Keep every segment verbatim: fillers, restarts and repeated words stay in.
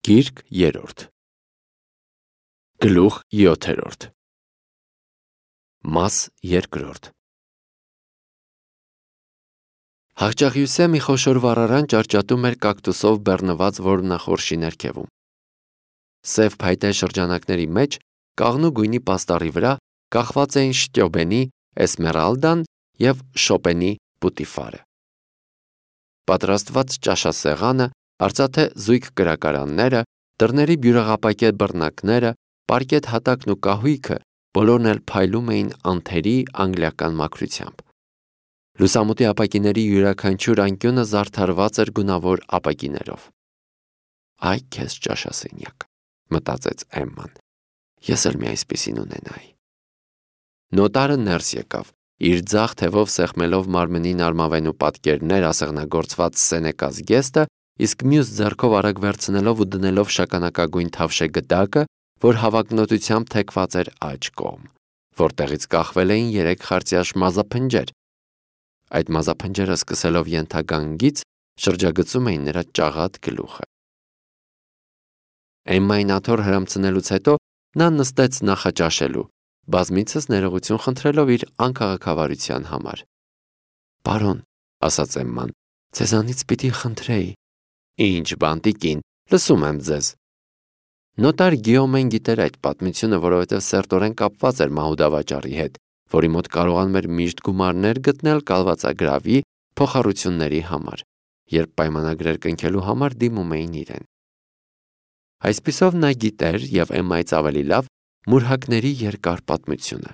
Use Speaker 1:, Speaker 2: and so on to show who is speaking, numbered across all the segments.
Speaker 1: Գիրք երրորդ Գլուխ յոթերորդ Մաս երկրորդ Հաղճաղյուսե մի խոշոր վառարան ճարճատում էր կակտուսով բեռնված որմնախորշի ներքևում։ Սև փայտե շրջանակների մեջ կաղնու գույնի պաստառի վրա կախված էին շտյոբենի էսմերալդան և շոպենի պուտիֆարը։ Պատրաստված ճաշասեղանը, արծաթե զույգ կրակարանները, դռների բյուրեղապակե բռնակները, պարկետ հատակն ու կահույքը բոլորն էլ փայլում էին անթերի անգլիական մաքրությամբ։ Լուսամուտի ապակիների յուրաքանչյուր անկյունը զարդարված էր գունավոր ապակիներով։ «Այ քեզ ճաշասենյակ», մտածեց Էմման, «ես էլ մի այսպիսին ունենայի»։ Նոտարը ներս եկավ, իր ձախ թևով սեղմելով մարմնին արմավենու պատկերներ ասեղնագործված սենեկա զգեստը, իսկ մյուս ձեռքով արագ վերցնելով ու դնելով շագանակագույն թավշե գդակը, որ հավակնոտությամբ թեքված էր աջ կողմ, որտեղից կախվել էին երեք խարծյաշ մազափնջեր։ Այդ մազափնջերը սկսելով ենթագանգից շրջագծում էին նրա ճաղատ գլուխը։ Էմմային աթոռ հրամցնելուց հետո նա նստեց նախաճաշելու, բազմիցս ներողություն խնդրելով իր անքաղաքավարության համար։ «Պարոն», ասաց Էմման, «ձեզանից պիտի խնդրեի»։ «Ինչ բան, տիկին, լսում եմ ձեզ»։ Նոտար Գիոմեն գիտեր այդ պատմությունը, որովհետև սերտորեն կապված էր մահուդավաճառի հետ, որի մոտ կարողանում էր միշտ գումարներ գտնել կալվածագրավի փոխառությունների համար, երբ պայմանագրեր կնքելու համար դիմում էին իրեն։ Այսպիսով նա գիտեր, և Էմմայից ավելի լավ, մուրհակների երկար պատմությունը։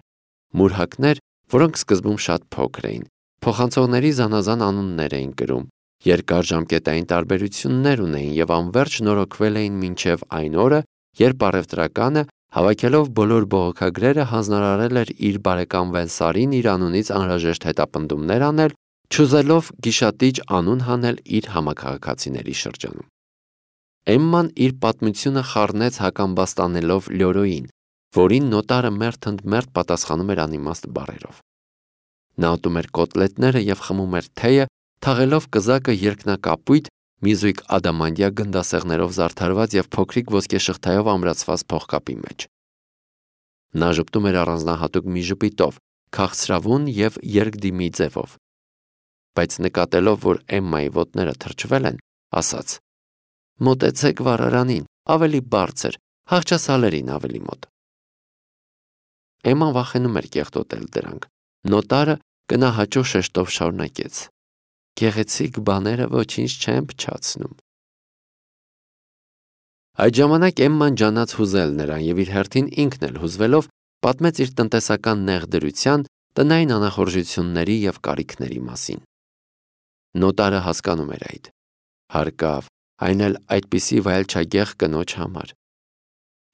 Speaker 1: Մուրհակներ, որոնք սկզբում շատ փոքր էին, փոխանցողների զանազան անուններ էին կրում, երկար ժամկետային տարբերություններ ունեին և անվերջ նորոգվել էին մինչև այն օրը, երբ առևտրականը, հավաքելով բոլոր բողոքագրերը, հանձնարարել էր իր բարեկամ Վենսարին իր անունից անհրաժեշտ հետապնդումներ անել, չուզելով գիշատիչ անուն հանել իր համաքաղաքացիների շրջանում։ Էմման իր պատմությունը խառնեց հակամբաստանելով Լյորոյին, որին նոտարը մերթ ընդ մերթ պատասխանում էր անիմաստ բառերով։ Նա ուտում էր կոտլետները և խմում էր թեյը, թաղելով կզակը երկնակապույտ մի զույգ ադամանդյա գնդասեղներով զարդարված և փոքրիկ ոսկեշղթայով ամրացված փողկապի մեջ։ Նա ժպտում էր առանձնահատուկ մի ժպիտով, քաղցրավուն և երկդիմի ձևով։ Բայց նկատելով, որ Էմմայի ոտները թրջվել են, ասաց. «Մոտեցեք վառարանին, ավելի բարձր, հաղճասալերին ավելի մոտ»։ Էմման վախենում էր կեղտոտել դրանք։ Նոտարը գնահաճո շեշտով շարունակեց. «Գեղեցիկ բաները ոչինչ չեն փչացնում»։ Այդ ժամանակ Էմման ջանաց հուզել նրան և իր հերթին ինքն էլ հուզվելով պատմեց իր տնտեսական նեղ դրության, տնային անախորժությունների և կարիքների մասին։ Նոտարը հասկանում էր այդ։ Հարկավ, այն էլ այդպիսի վայելչագեղ կնոջ համար։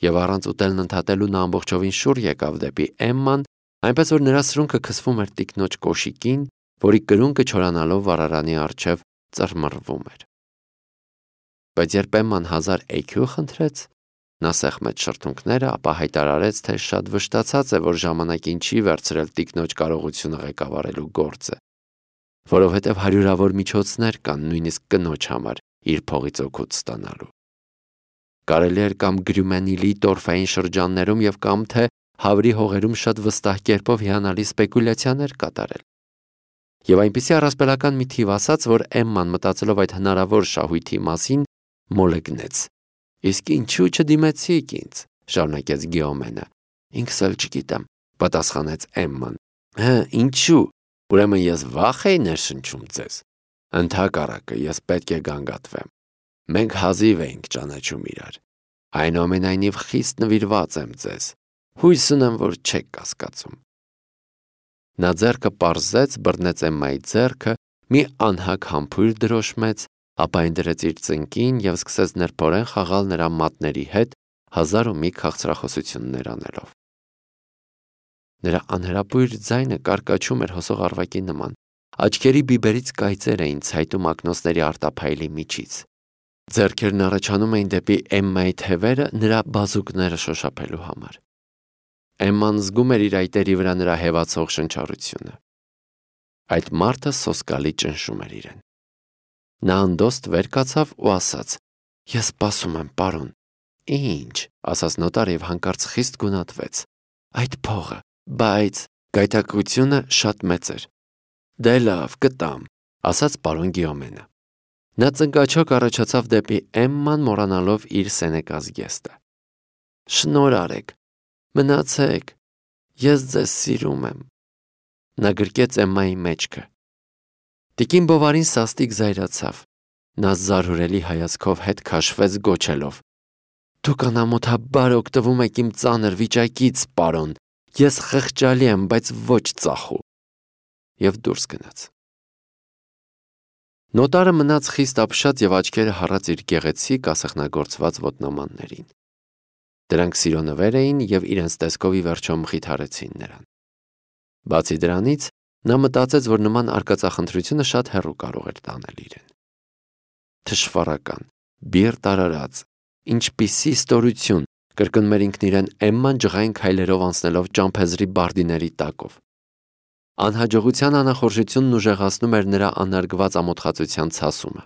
Speaker 1: Եվ առանց ուտելն ընդհատելու նա ամբողջովին շուռ եկավ դեպի Էմման, այնպես որ նրա սրունքը քսվում էր տիկնոջ կոշիկին, որի կրունկը չորանալով վառարանի առջև ծռմռվում էր։ Բայց երբ Էմման հազար էքյու խնդրեց, նա սեղմեց շրթունքները, ապա հայտարարեց, թե շատ վշտացած է, որ ժամանակին չի վերցրել տիկնոջ կարողությունը ղեկավարելու գործը, որովհետև հարյուրավոր միջոցներ կան նույնիսկ կնոջ համար իր փողից օգուտ ստանալու։ Կարելի էր կամ Գրյումենիլի տորֆային շրջաններում և կամ թե Հավրի հողերում շատ վստահ կերպով հիանալի սպեկուլյացիաներ կատարել։ Եվ այնպիսի առասպելական մի թիվ ասաց, որ Էմման մտածելով այդ հնարավոր շահույթի մասին, մոլեգնեց։ «Իսկ ինչու չդիմեցիք ինձ», շարունակեց Գիոմենը։ «Ինքս էլ չգիտեմ», պատասխանեց Էմման։ «Հը, ինչու, ուրեմն ես վախ էի ներշնչում ձեզ։ Ընդհակառակը, ես պետք է գանգատվեմ։ Մենք հազիվ էինք ճանաչում իրար։ Այնուամենայնիվ խիստ նվիրված եմ ձեզ։ Հույս ունեմ, որ չեք կասկածում»։ Նա ձեռքը պարզեց, բռնեց Էմմայի ձեռքը, մի անհագ համբույր դրոշմեց, ապա այն դրեց իր ծնկին և սկսեց նրբորեն խաղալ նրա մատների հետ, հազար ու մի քաղցրախոսություններ անելով։ Նրա անհրապույր ձայնը կարկաչում էր հոսող առվակի նման, աչքերի բիբերից կայծեր էին ցայտում ակնոցների արտափայլի միջից։ Ձեռքերն առաջանում էին դեպի Էմմայի թևերը նրա բազուկները շոշափելու համար։ Էմման զգում էր իր այտերի վրա նրա հևացող շնչառությունը։ Այդ մարդը սոսկալի ճնշում էր իրեն։ Նա անդոստ վեր կացավ ու ասաց. Ես սպասում եմ, պարոն։ Ինչ, ասաց նոտարը եւ հանկարծ խիստ գունատվեց։ Այդ փողը, բայց գայթակղությունը շատ մեծ էր։ Դե լավ, կտամ, ասաց պարոն Գիոմենը։ Նա ծնկաչոք առաջացավ դեպի Էմման, մոռանալով իր սենեկա զգեստը։ Շնորհ արեք, մնացեք, ես ձեզ սիրում եմ։ Նա գրկեց Էմմայի մեջքը։ Տիկին Բովարին սաստիկ զայրացավ։ Նա զարհուրելի հայացքով հետ քաշվեց գոչելով. Դուք անամոթաբար օգտվում եք իմ ծանր վիճակից, պարոն, ես խղճալի եմ, բայց ոչ ծախու։ Եվ դուրս գնաց։ Նոտարը մնաց խիստ ապշած եւ աչքերը հառած իր գեղեցիկ ասեղնագործված ոտնամաններին։ Դրանք սիրո նվեր էին եւ իրենց տեսքով ի վերջո մխիթարեցին նրան։ Բացի դրանից, նա մտածեց, որ նման արկածախնդրությունը շատ հեռու կարող էր տանել իրեն։ Թշվառական, բիռ տարարած, ինչպիսի ստորություն, կրկնում էր ինքն իրեն Էմման ջղային քայլերով անցնելով ճամփեզրի բարդիների տակով։ Անհաջողության անախորժությունն ուժեղացնում էր նրա անարգված ամոթխածության ցասումը։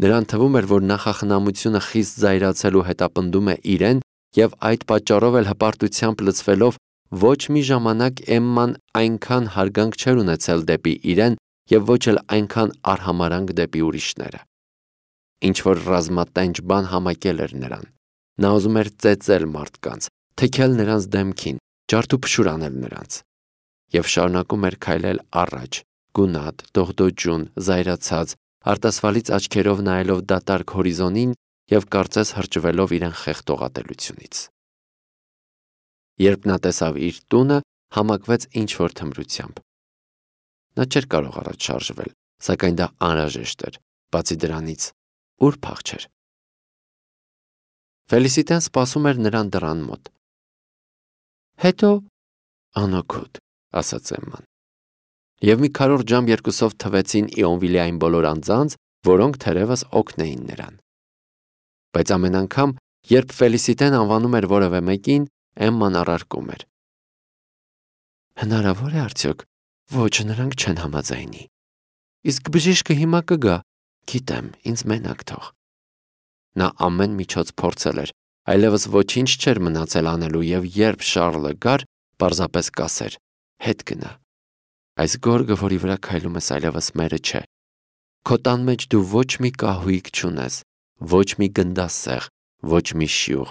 Speaker 1: Նրան թվում էր, որ նախախնամությունը խիստ զայրացել ու հետապնդում է իրեն եւ այդ պատճառով էլ հպարտությամբ լցվելով ոչ մի ժամանակ Էմման այնքան հարգանք չէր ունեցել դեպի իրեն եւ ոչ էլ այնքան արհամարանք դեպի ուրիշները։ Ինչ որ ռազմատենչ բան համակել էր նրան։ Նա ուզում էր ծեծել մարդկանց, թեքել նրանց դեմքին, ջարդուփշուր անել նրանց։ Եվ շարունակում էր քայլել առաջ, գունատ, դողդոջուն, զայրացած, արտասվալից աչքերով նայելով դատարկ հորիզոնին եւ կարծես հրճվելով իրեն խեղդողատելությունից։ Երբ նա տեսավ իր տունը, համակվեց ինչ-որ թմրությամբ։ Նա չէր կարող առաջ շարժվել, սակայն դա անհրաժեշտ էր, բացի դրանից, ուր փախչեր։ Ֆելիսիտեն սպասում էր նրան դռան մոտ։ Հետո անօգուտ, ասաց Էմման։ Եվ մի քառորդ ժամ երկուսով թվեցին Իոնվիլի այն բոլոր անձանց, որոնք թերևս օգնեին նրան։ Բայց ամեն անգամ, երբ Ֆելիսիտեն անվանում էր որևէ մեկին, Էմման առարկում էր. Հնարավոր է արդյոք, ոչ նրանք չեն համաձայնի։ Իսկ բժիշկը հիմա կգա, գիտեմ, ինձ մենակ թող։ Նա ամեն միջոց փորձել էր, այլևս ոչինչ չէր մնացել անելու եւ երբ Շառլը գար, պարզապես կասեր. հետ գնա։ Այս գորգը, որի վրա քայլում ես, այլևս մերը չէ։ Քո տան մեջ դու ոչ մի կահույք չունես, ոչ մի գնդասեղ, ոչ մի շյուղ,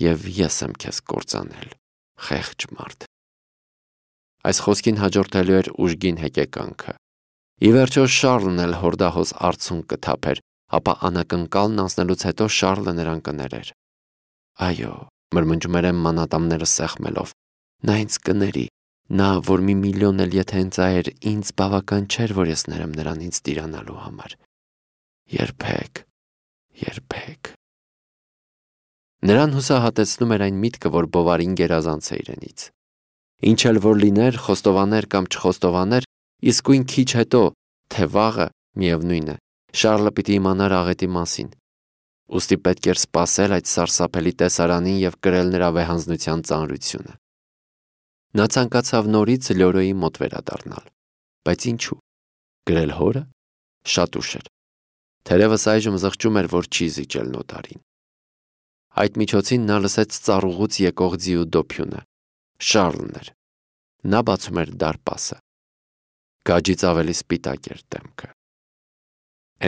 Speaker 1: եւ ես եմ քեզ կործանել, խեղճ մարդ։ Այս խոսքին հաջորդելու էր ուժգին հեկեկանքը։ Ի վերջո Շառլն էլ հորդահոս արցունք կթափեր, ապա անակնկալն անցնելուց հետո Շառլը նրան կներեր։ Այո, մրմնջում էր Էմման ատամները սեղմելով, նա ինձ կների, նա, որ մի միլիոն էլ եթե ընծայեր, ինձ բավական չէր, որ ես ներեմ նրան ինձ տիրանալու համար։ Երբեք, երբեք։ Նրան հուսահատեցնում էր այն միտքը, որ Բովարին գերազանց է իրենից։ Ինչ էլ որ լիներ, խոստովաներ կամ չխոստովաներ, իսկույն քիչ հետո, թե վաղը, միևնույն է, Շառլը պիտի իմանար աղետի մասին։ Ուստի պետք էր սպասել այդ սարսափելի տեսարանին եւ կրել նրա վեհանձնության ծանրությունը։ Նա ցանկացավ նորից Լյորոյի մոտ վերադառնալ, բայց ինչու։ Գրել հորը շատ ուշ էր։ Թերևս այժմ զղջում էր, որ չի զիջել նոտարին։ Այդ միջոցին նա լսեց ծառուղուց եկող ձիու դոփյունը։ Շառլն էր։ Նա բացում էր դարպասը։ Գաջից ավելի սպիտակ էր դեմքը։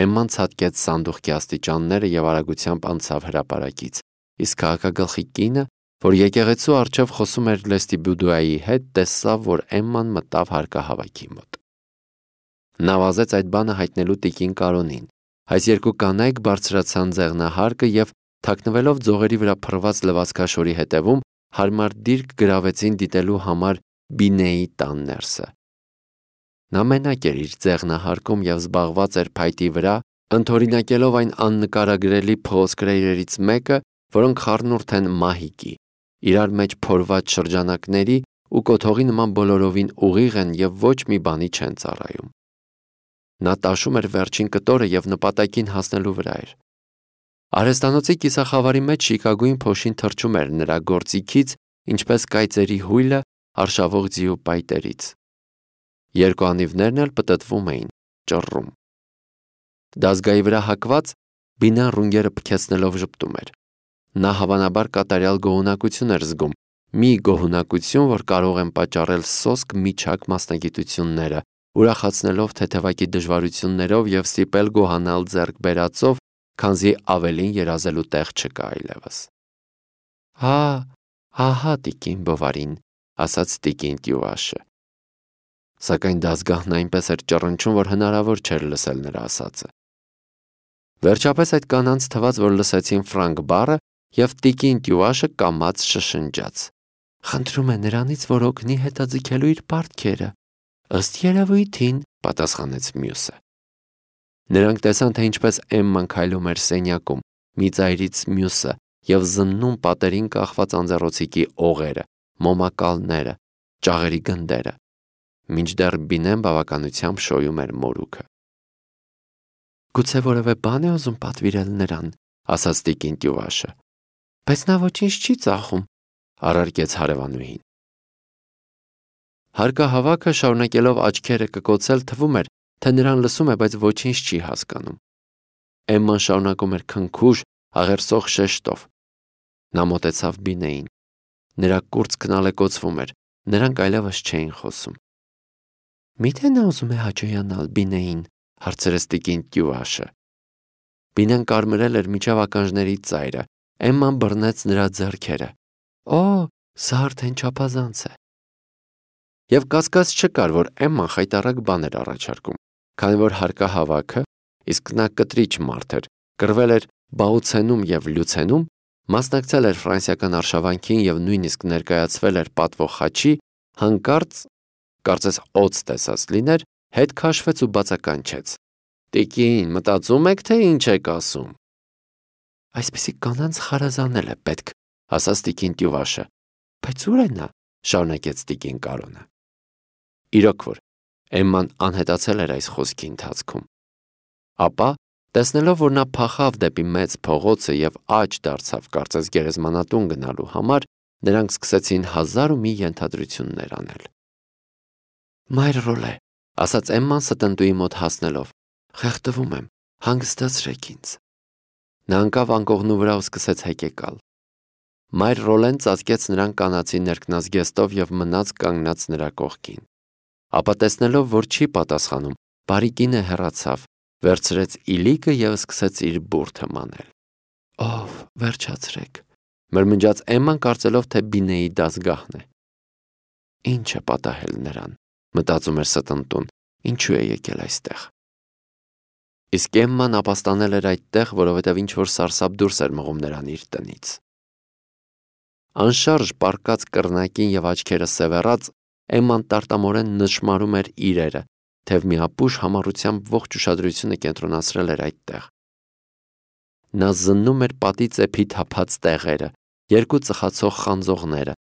Speaker 1: Էմման ցատկեց սանդուղքի աստիճանները եւ արագությամբ անցավ հրապարակից, իսկ քաղաքագլխի կինը, որ եկեղեցու առջև խոսում էր Լեստիբուդուայի հետ, տեսավ, որ Էմման մտավ հարկահավաքի մոտ։ Նա վազեց այդ բանը հայտնելու տիկին Կարոնին։ Այս երկու կանայք բարձրացան ձեղնահարկը եւ թաքնվելով ձողերի վրա փռված լվացքաշորի հետևում, հարմար դիրք գրավեցին դիտելու համար Բինեի տան ներսը։ Նա մենակ էր իր ձեղնահարկում եւ զբաղված էր փայտի վրա, ընդօրինակելով այն աննկարագրելի փողոցկրերից մեկը, որոնք խառնուրդ են մահիկի, իրար մեջ փորված շրջանակների ու կոթողի նման բոլորովին ուղիղ են եւ ոչ մի բանի չեն ծառայում։ Նա տաշում էր վերջին կտորը եւ նպատակին հասնելու վրա էր։ Արհեստանոցի կիսախավարի մեջ շիկագույն փոշին թռչում էր նրա գործիքից, ինչպես կայծերի հույլը արշավող ձիու պայտերից։ Երկու անիվներն էլ պտտվում էին, ճռռում։ Դազգայի վրա հակված Բինան ռունգերը փքեցնելով ժպտում էր։ Նա հավանաբար կատարյալ գոհունակություն էր զգում, մի գոհունակություն, որ կարող են պատճառել սոսկ միջակ մասնագիտությունները, ուրախացնելով թեթևակի դժվարություններով եւ ստիպել գոհանալ ձեռք բերածով, քանզի ավելին երազելու տեղ չկա այլևս։ Հա, ահա տիկին Բովարին, ասաց տիկին Տյուվաշը։ Սակայն դասգահն այնպես էր ճռնչում, որ հնարավոր չէր լսել նրա ասածը։ Վերջապես այդ կանանց թվաց, որ լսեցին ֆրանկ բառը, եւ տիկին Տյուվաշը կամաց շշնջաց. «Խնդրում է նրանից, որ օգնի հետաձգելու իր պարտքերը»։ Ըստ երևույթին, պատասխանեց մյուսը։ Նրանք տեսան, թե ինչպես Էմման քայլում էր սենյակում, մի ծայրից մյուսը, եւ զննում պատերին կախված անձեռոցիկի օղերը, մոմակալները, ճաղերի գնդերը, մինչդեռ Բինեն բավականությամբ շոյում էր մորուքը։ Գուցե որևէ բան է ուզում պատվիրել նրան, ասաց տիկին Տյուվաշը։ Բայց նա ոչինչ չի ծախում, առարկեց հարևանուհին։ Հարկահավաքը շարունակելով աչքերը կկոցել թվում էր, թե նրան լսում է, բայց ոչինչ չի հասկանում։ Էմման շարունակում էր քնքուշ, աղերսող շեշտով։ Նա մոտեցավ Բինեին։ Նրա կուրծքն ալեկոծվում էր, նրանք այլևս չէին խոսում։ Միթե նա ուզում է հաճոյանալ Բինեին, հարցրեց տիկին Տյուվաշը։ Բինեն կարմրել էր միջև ականջների ծայրը, Էմման բռնեց նրա ձեռքերը։ Օ, սա արդեն չափազանց է։ Եվ կասկած չկար, որ Էմման խայտառակ բան էր առաջարկում, քանի որ հարկահավաքը, իսկ նա կտրիչ մարդ էր, կռվել էր Բաուցենում եւ Լյուցենում, մասնակցել էր ֆրանսիական արշավանքին եւ նույնիսկ ներկայացվել էր պատվող խաչի, հանկարծ, կարծես օծ տեսած լիներ, հետ քաշվեց ու բացականչեց. Տիկին, մտածում եք, թե ինչ եք ասում։ Այսպեսի կանանց խարազանել է պետք, ասաց տիկին Տյուվաշը։ Բայց ուր է նա, շարունակեց տիկին Կարոնը։ Իրոք որ, Էմման անհետացել էր այս խոսքի ընթացքում։ Ապա, տեսնելով, որ նա փախավ դեպի մեծ փողոցը եւ աջ դարձավ կարծես գերեզմանատուն գնալու համար, նրանք սկսեցին հազար ու մի ենթադրություններ անել։ Մայր Ռոլե, ասաց Էմման ստնտուի մոտ հասնելով, խեղդվում եմ, հանգստացրեք ինձ։ Նա ընկավ անկողնու վրա ու սկսեց հեկեկալ։ Մայր Ռոլեն ծածկեց նրան կանացի ներքնազգեստով եւ մնաց կանգնած նրա կողքին։ Ապա տեսնելով, որ չի պատասխանում, բարի կինը հեռացավ, վերցրեց իլիկը եւ սկսեց իր բուրդը մանել։ Ով, վերջացրեք, մրմնջաց Էմման, կարծելով, թե Բինեի դասգահն է։ Ինչ է պատահել նրան, մտածում էր ստնտուն, ինչու է եկել այստեղ։ Իսկ Էմման ապաստանել էր այդտեղ, որովհետև ինչ-որ սարսափ դուրս էր մղում նրան իր տնից։ Անշարժ պառկած կռնակին եւ աչքերը սևեռած, Էմման տարտամորեն նշմարում էր իրերը, թեև մի ապուշ համառությամբ ողջ ուշադրությունը կենտրոնացրել էր այդտեղ։ Նա զննում էր պատի ծեփի թափած տեղերը, երկու ծխացող խանձողները,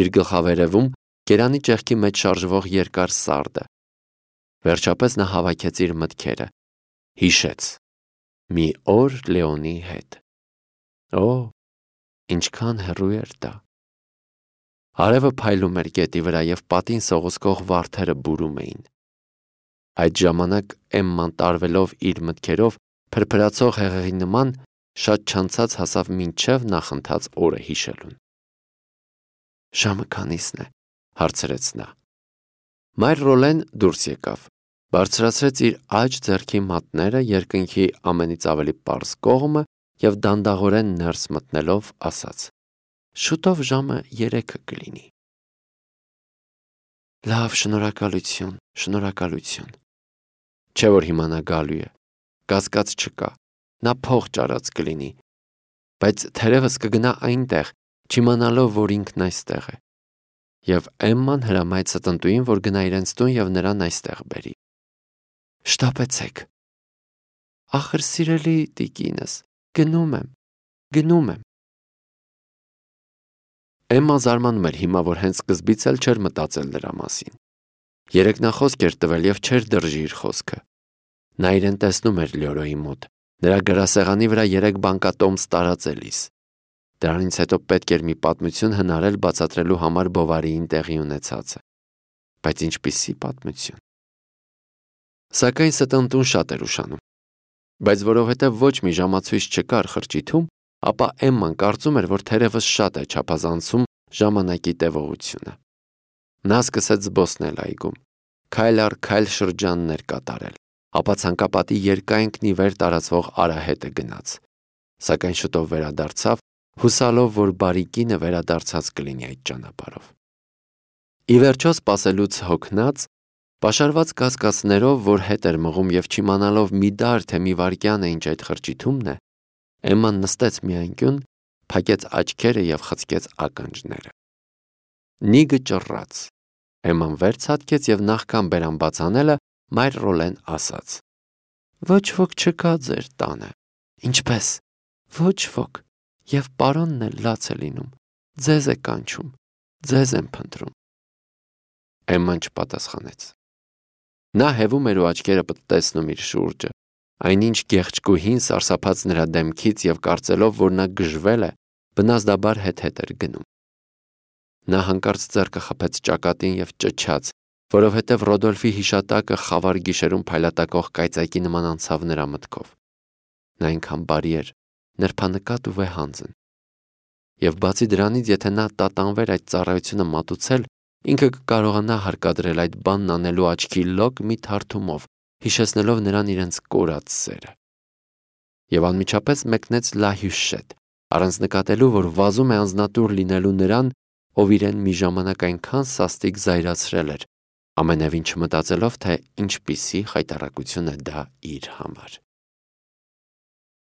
Speaker 1: իր գլխավերևում կերանի ճեղքի մեջ շարժվող երկար սարդը։ Վերջապես նա հավաքեց իր մտքերը։ Հիշեց. մի օր Լեոնի հետ։ Օ, ինչքան հեռու էր դա։ Արևը փայլում էր գետի վրա եւ պատին սողոսկող վարդերը բուրում էին։ Այդ ժամանակ Էմման տարվելով իր մտքերով փրփրացող հեղեղի նման շատ չանցած հասավ մինչև նախընթաց օրը հիշելուն։ Ժամը քանիսն է, հարցրեց նա։ Մայր Ռոլեն դուրս եկավ, բարձրացրեց իր աջ ձեռքի մատները երկնքի ամենից ավելի պարզ կողմը եւ դանդաղորեն ներս մտնելով ասաց. Շուտով ժամը երեքը կլինի։ Լավ, շնորհակալություն, շնորհակալություն։ Չէ որ հիմա նա գալու է, կասկած չկա, նա փող ճարած կլինի, բայց թերևս կգնա այնտեղ, չիմանալով, որ ինքն այստեղ է։ Եվ Էմման հրամայեց ստնտուին, որ գնա իրենց տուն եւ նրան այստեղ բերի։ Շտապեցեք։ Ախր սիրելի տիկինս, գնում եմ, գնում եմ։ Էմման զարմանում էր հիմա, որ հենց սկզբից էլ չէր մտածել նրա մասին։ Երեք նա խոսք էր տվել եւ չէր դրժի իր խոսքը։ Նա իրեն տեսնում էր Լյորոյի մոտ, նրա գրասեղանի վրա երեք բանկատոմս տարածելիս։ Դրանից հետո պետք էր մի պատմություն հնարել բացատրելու համար Բովարիին տեղի ունեցածը։ Բայց ինչպիսի պատմություն։ Սակայն ստնտուն շատ էր ուշանում։ Բայց որովհետև ոչ մի ժամացույց չկար խրճիթում, ապա Էմման կարծում էր, որ թերևս շատ է չափազանցում ժամանակի տևողությունը։ Նա սկսեց զբոսնել այգում, քայլ առ քայլ շրջաններ կատարել, ապա ցանկապատի երկայնքն ի վեր տարածվող արահետը գնաց, սակայն շուտով վերադարձավ, հուսալով, որ բարի կինը վերադարձած կլինի այդ ճանապարհով։ Ի վերջո սպասելուց հոգնած, պաշարված կասկածներով, որ հետ էր մղում և չիմանալով մի դար, թե մի վայրկյան է ինչ այդ խրճիթումն է, Էմման նստեց մի անկյուն, փակեց աչքերը և խցկեց ականջները։ Նիգը ճռռաց։ Էմման վեր ցատկեց և նախքան բերան բաց անելը, մայր Ռոլեն ասաց. «Ոչ ոք չկա ձեր տանը»։ «Ինչպե՞ս»։ «Ոչ ոք, և պարոնն էլ լաց է լինում, ձեզ է կանչում, ձեզ եմ փնտրում»։ Էմման չպատասխանեց։ Նա հևում էր ու աչքերը պտտեցնում իր շուրջը, այնինչ գեղեցկուհին սարսափած նրա դեմքից և կարծելով, որ նա գժվել է, բնազդաբար հետ-հետ էր գնում։ Նա հանկարծ ձեռքը խփեց ճակատին և ճչաց, որովհետև Ռոդոլֆի հիշատակը խավար գիշերում փայլատակող կայծակի նման անցավ նրա մտքով։ Նա այնքան բարի էր, նրբանկատ ու վեհանձն։ Եվ բացի դրանից, եթե նա տատանվեր այդ ծառայությունը մատուցել, ինքը կկարողանա հարկադրել այդ բանն անելու աչքի լոկ մի թարթումով, հիշեցնելով նրան իրենց կորած սերը։ Եվ անմիջապես մեկնեց Լա Հյուշետ, առանց նկատելու, որ վազում է անձնատուր լինելու նրան, ով իրեն մի ժամանակ այնքան սաստիկ զայրացրել էր, ամենևին չմտածելով, թե ինչպիսի խայտառակություն է դա իր համար։